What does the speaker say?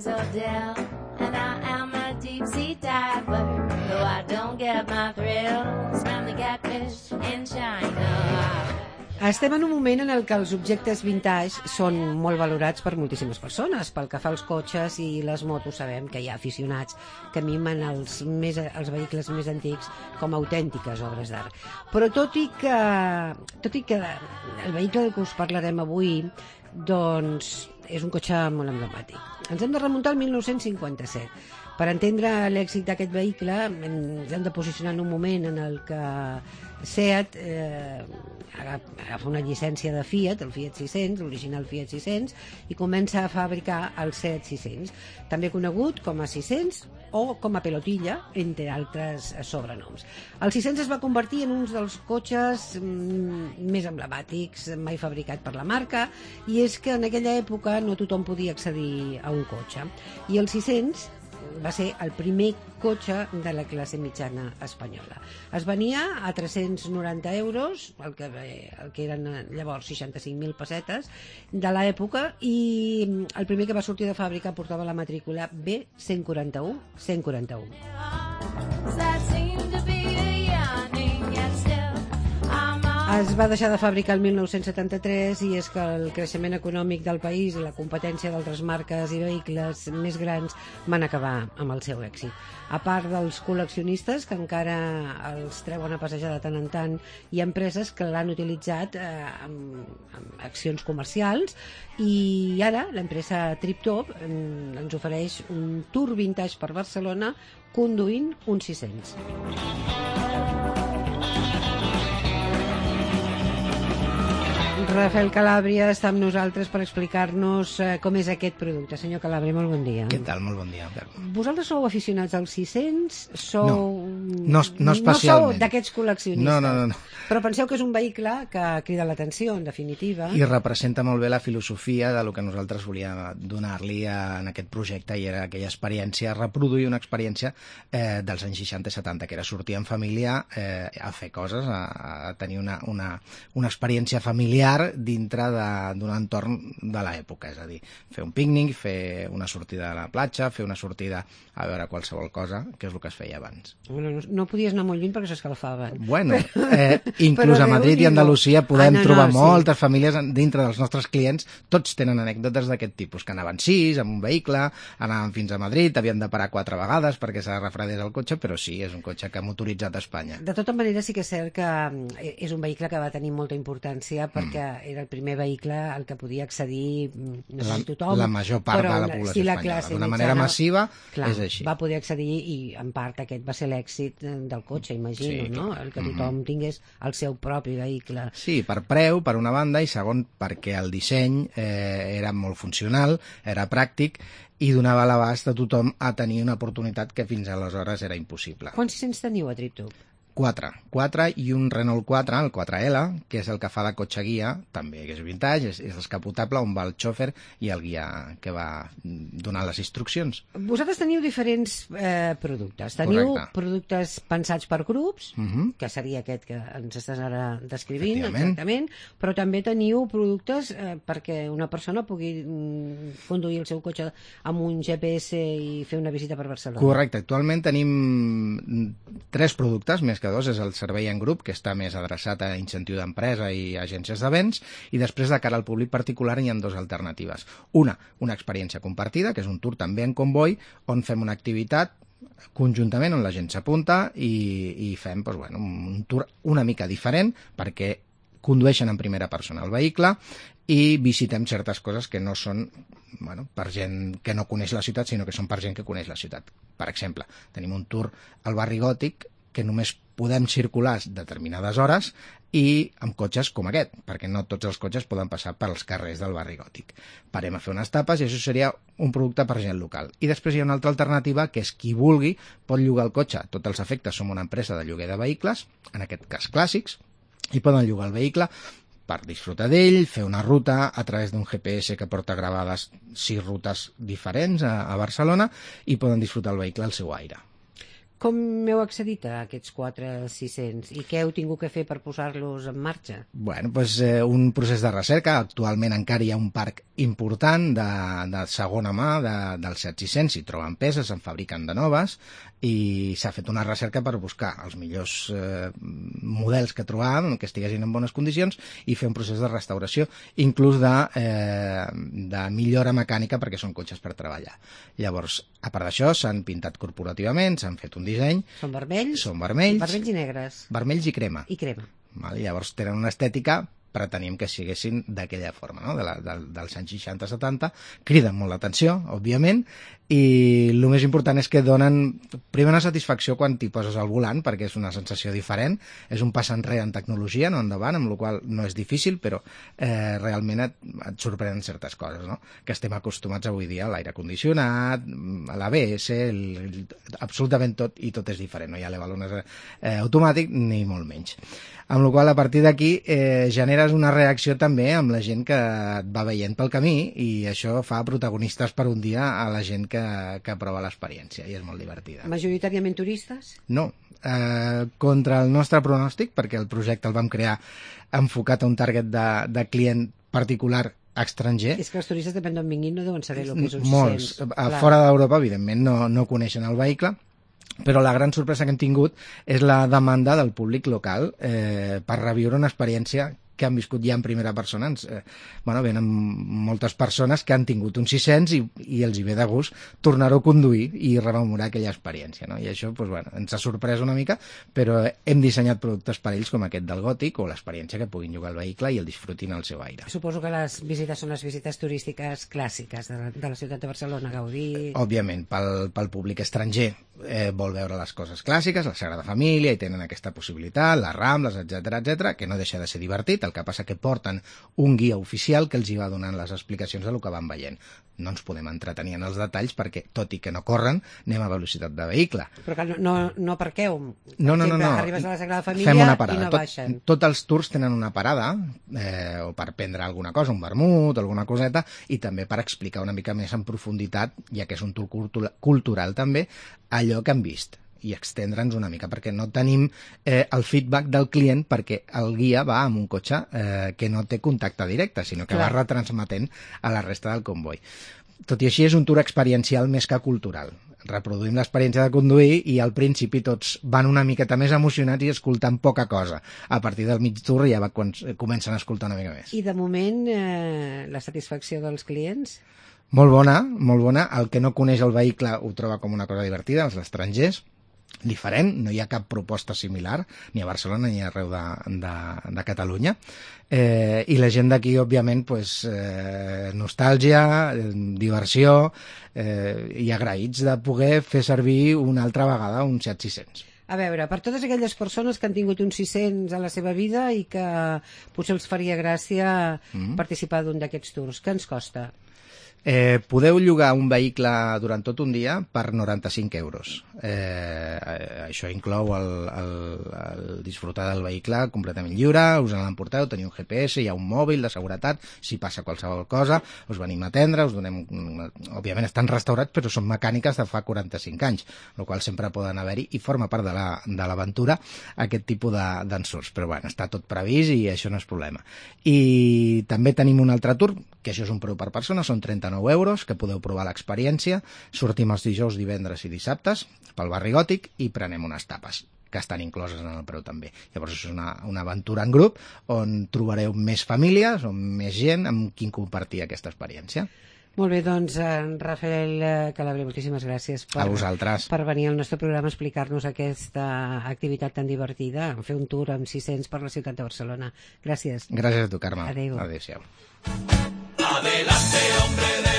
is Odell, and I am a deep sea diver. Though I don't get my thrills from the catfish in China. Estem en un moment en el que els objectes vintage són molt valorats per moltíssimes persones. Pel que fa als cotxes i les motos, sabem que hi ha aficionats que mimen els vehicles més antics com autèntiques obres d'art. Però tot i que el vehicle del que us parlarem avui doncs, és un cotxe molt emblemàtic. Ens hem de remuntar al 1957. Per entendre l'èxit d'aquest vehicle ens hem de posicionar en un moment en el que Seat agafa una llicència de Fiat, el Fiat 600, l'original Fiat 600, i comença a fabricar el Seat 600, també conegut com a 600 o com a Pelotilla, entre altres sobrenoms. El 600 es va convertir en un dels cotxes més emblemàtics mai fabricat per la marca, i és que en aquella època no tothom podia accedir a un cotxe. I el 600 va ser el primer cotxe de la classe mitjana espanyola. Es venia a 390 euros, el que eren llavors 65.000 pessetes de l'època, i el primer que va sortir de fàbrica portava la matrícula B141. Es va deixar de fabricar el 1973, i és que el creixement econòmic del país i la competència d'altres marques i vehicles més grans van acabar amb el seu èxit. A part dels col·leccionistes, que encara els treuen a passejar de tant en tant, hi ha empreses que l'han utilitzat amb accions comercials, i ara l'empresa TripTop ens ofereix un tour vintage per Barcelona conduint un 600. Rafael Calàbria està amb nosaltres per explicar-nos com és aquest producte. Senyor Calàbria, molt bon dia. Què tal? Molt bon dia. Vosaltres sou aficionats als 600? No especialment. No sou d'aquests col·leccionistes? No. Però penseu que és un vehicle que crida l'atenció, en definitiva. I representa molt bé la filosofia de lo que nosaltres volíem donar-li en aquest projecte, i era aquella experiència, reproduir una experiència dels anys 60 i 70, que era sortir en família a fer coses, a tenir una experiència familiar dintre d'un entorn de l'època, és a dir, fer un pícnic, fer una sortida a la platja, fer una sortida a veure qualsevol cosa, que és el que es feia abans. Bueno, no podies anar molt lluny perquè s'escalfaven. Bueno, inclús a Madrid i Andalusia podem trobar moltes famílies dintre dels nostres clients, tots tenen anècdotes d'aquest tipus, que anaven 6 amb un vehicle, anaven fins a Madrid, havien de parar 4 vegades perquè se refredés el cotxe, però sí, és un cotxe que ha motoritzat a Espanya. De tota manera, sí que és cert que és un vehicle que va tenir molta importància perquè era el primer vehicle al que podia accedir tothom. La major part de la població espanyola. D'una manera massiva, és així. Va poder accedir, i en part aquest va ser l'èxit del cotxe, imagino, sí, no? El que tothom tingués el seu propi vehicle. Sí, per preu, per una banda, i segon, perquè el disseny era molt funcional, era pràctic, i donava l'abast a tothom a tenir una oportunitat que fins aleshores era impossible. Quants 600 teniu a TripTop? 4 i un Renault 4, el 4L, que és el que fa de cotxe guia, també que és vintage, és descapotable, on va el xòfer i el guia que va donar les instruccions. Vosaltres teniu diferents productes. Teniu productes pensats per grups, que seria aquest que ens estàs ara descrivint, exactament, però també teniu productes perquè una persona pugui conduir el seu cotxe amb un GPS i fer una visita per Barcelona. Correcte. Actualment tenim 3 productes, més que 2, és el servei en grup, que està més adreçat a incentiu d'empresa i agències de béns, i després de cara al públic particular hi ha 2 alternatives. Una experiència compartida, que és un tour també en comboi, on fem una activitat conjuntament on la gent s'apunta i fem un tour una mica diferent, perquè condueixen en primera persona el vehicle i visitem certes coses que no són per gent que no coneix la ciutat, sinó que són per gent que coneix la ciutat. Per exemple, tenim un tour al barri gòtic que només podem circular determinades hores i amb cotxes com aquest, perquè no tots els cotxes poden passar pels carrers del barri gòtic. Parem a fer unes tapes i això seria un producte per gent local. I després hi ha una altra alternativa, que és qui vulgui pot llogar el cotxe. Tots els efectes som una empresa de lloguer de vehicles, en aquest cas clàssics, i poden llogar el vehicle per disfrutar d'ell, fer una ruta a través d'un GPS que porta gravades 6 rutes diferents a Barcelona, i poden disfrutar el vehicle al seu aire. Com heu accedit a aquests 4.600 i què heu tingut que fer per posar-los en marxa? Bueno, doncs un procés de recerca. Actualment encara hi ha un parc important de segona mà dels 7.600, s'hi troben peces, se'n fabriquen de noves, i s'ha fet una recerca per buscar els millors models que trobàvem, que estiguessin en bones condicions, i fer un procés de restauració, inclús de millora mecànica, perquè són cotxes per treballar. Llavors, a part d'això, s'han pintat corporativament, s'han fet un disseny. Són vermells? Són vermells. Vermells i negres. Vermells i crema. I crema. Vale? Llavors tenen una estètica, preteníem que siguessin d'aquella forma, no? Dels anys 60-70, criden molt l'atenció, òbviament, i el més important és que donen primer una satisfacció quan t'hi poses al volant, perquè és una sensació diferent, és un pas enrere en tecnologia, no endavant, amb la qual no és difícil, però realment et sorprenen certes coses, no? Que estem acostumats avui dia a l'aire condicionat, a l'ABS, absolutament tot, i tot és diferent, no hi ha l'avalones automàtic ni molt menys. Amb la qual a partir d'aquí generes una reacció també amb la gent que et va veient pel camí, i això fa protagonistes per un dia a la gent que prova l'experiència, i és molt divertida. Majoritàriament turistes? No, contra el nostre pronòstic, perquè el projecte el vam crear enfocat a un target de client particular estranger. És que els turistes, depèn d'on vinguin, no deuen saber el que és un 600. Molts. Fora d'Europa, evidentment, no coneixen el vehicle, però la gran sorpresa que hem tingut és la demanda del públic local per reviure una experiència que han viscut ja en primera persona. Venen moltes persones que han tingut un 600 i els hi ve de gust tornar-ho a conduir i rememorar aquella experiència, no? I això ens ha sorprès una mica, però hem dissenyat productes per ells com aquest del Gòtic, o l'experiència que puguin jugar al vehicle i el disfrutin al seu aire. Suposo que les visites són les visites turístiques clàssiques de la ciutat de Barcelona, Gaudí... Òbviament, pel públic estranger vol veure les coses clàssiques, la Sagrada Família, i tenen aquesta possibilitat, les Rambles, etc, que no deixa de ser divertit. El que passa que porten un guia oficial que els hi va donant les explicacions del que van veient. No ens podem entretenir en els detalls perquè, tot i que no corren, anem a velocitat de vehicle. Però que no parqueu. No. Arribes a la Sagrada Família Fem una parada. I no baixen. Tots els tours tenen una parada, o per prendre alguna cosa, un vermut, alguna coseta, i també per explicar una mica més en profunditat, ja que és un tour cultural també, allò que han vist, i extendre'ns una mica, perquè no tenim el feedback del client, perquè el guia va amb un cotxe que no té contacte directe, sinó que va retransmetent a la resta del comboi. Tot i així és un tour experiencial més que cultural. Reproduïm l'experiència de conduir i al principi tots van una miqueta més emocionats i escoltant poca cosa. A partir del mig tour ja comencen a escoltar una mica més. I de moment la satisfacció dels clients? Molt bona, molt bona. El que no coneix el vehicle ho troba com una cosa divertida, els estrangers. Diferent, no hi ha cap proposta similar, ni a Barcelona ni arreu de Catalunya. I la gent d'aquí, òbviament, nostàlgia, diversió, i agraïts de poder fer servir una altra vegada un 7.600. A veure, per totes aquelles persones que han tingut un 600 a la seva vida i que potser els faria gràcia participar d'un d'aquests tours, què ens costa? Podeu llogar un vehicle durant tot un dia per 95 euros. Això inclou el disfrutar del vehicle completament lliure, us l'emporteu, teniu un GPS, hi ha un mòbil de seguretat, si passa qualsevol cosa, us venim a atendre, us donem... Òbviament estan restaurats, però són mecàniques de fa 45 anys, el qual sempre poden haver-hi, i forma part de l'aventura aquest tipus d'ensurts. Però bueno, està tot previst i això no és problema. I també tenim un altre tour, que això és un preu per persona, són 39 euros, que podeu provar l'experiència. Sortim els dijous, divendres i dissabtes pel barri Gòtic i prenem unes tapes que estan incloses en el preu també. Llavors és una aventura en grup on trobareu més famílies o més gent amb qui compartir aquesta experiència. Molt bé, doncs, Rafael Calabrer, moltíssimes gràcies per venir al nostre programa a explicar-nos aquesta activitat tan divertida, fer un tour amb 600 per la ciutat de Barcelona. Gràcies. Gràcies a tu, Carme. Adéu. Adéu-siau. Adelante, hombre de